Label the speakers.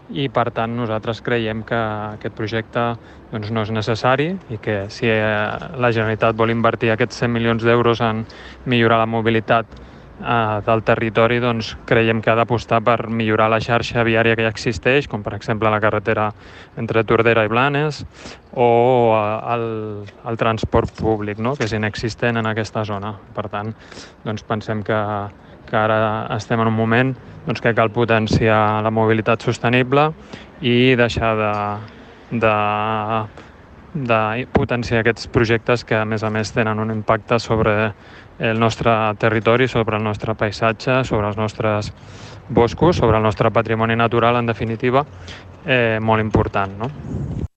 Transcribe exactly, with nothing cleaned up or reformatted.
Speaker 1: i per tant nosaltres creiem que aquest projecte doncs, no és necessari i que si la Generalitat vol invertir aquests cent milions d'euros en millorar la mobilitat eh, del territori, doncs creiem que ha d'apostar per millorar la xarxa viària que ja existeix, com per exemple la carretera entre Tordera i Blanes, o el, el transport públic, no?, que és inexistent en aquesta zona. Per tant, doncs pensem que, que ara estem en un moment doncs, que cal potenciar la mobilitat sostenible i deixar de, de de potenciar aquests projectes que, a més a més, tenen un impacte sobre el nostre territori, sobre el nostre paisatge, sobre els nostres boscos, sobre el nostre patrimoni natural, en definitiva, eh, molt important, no?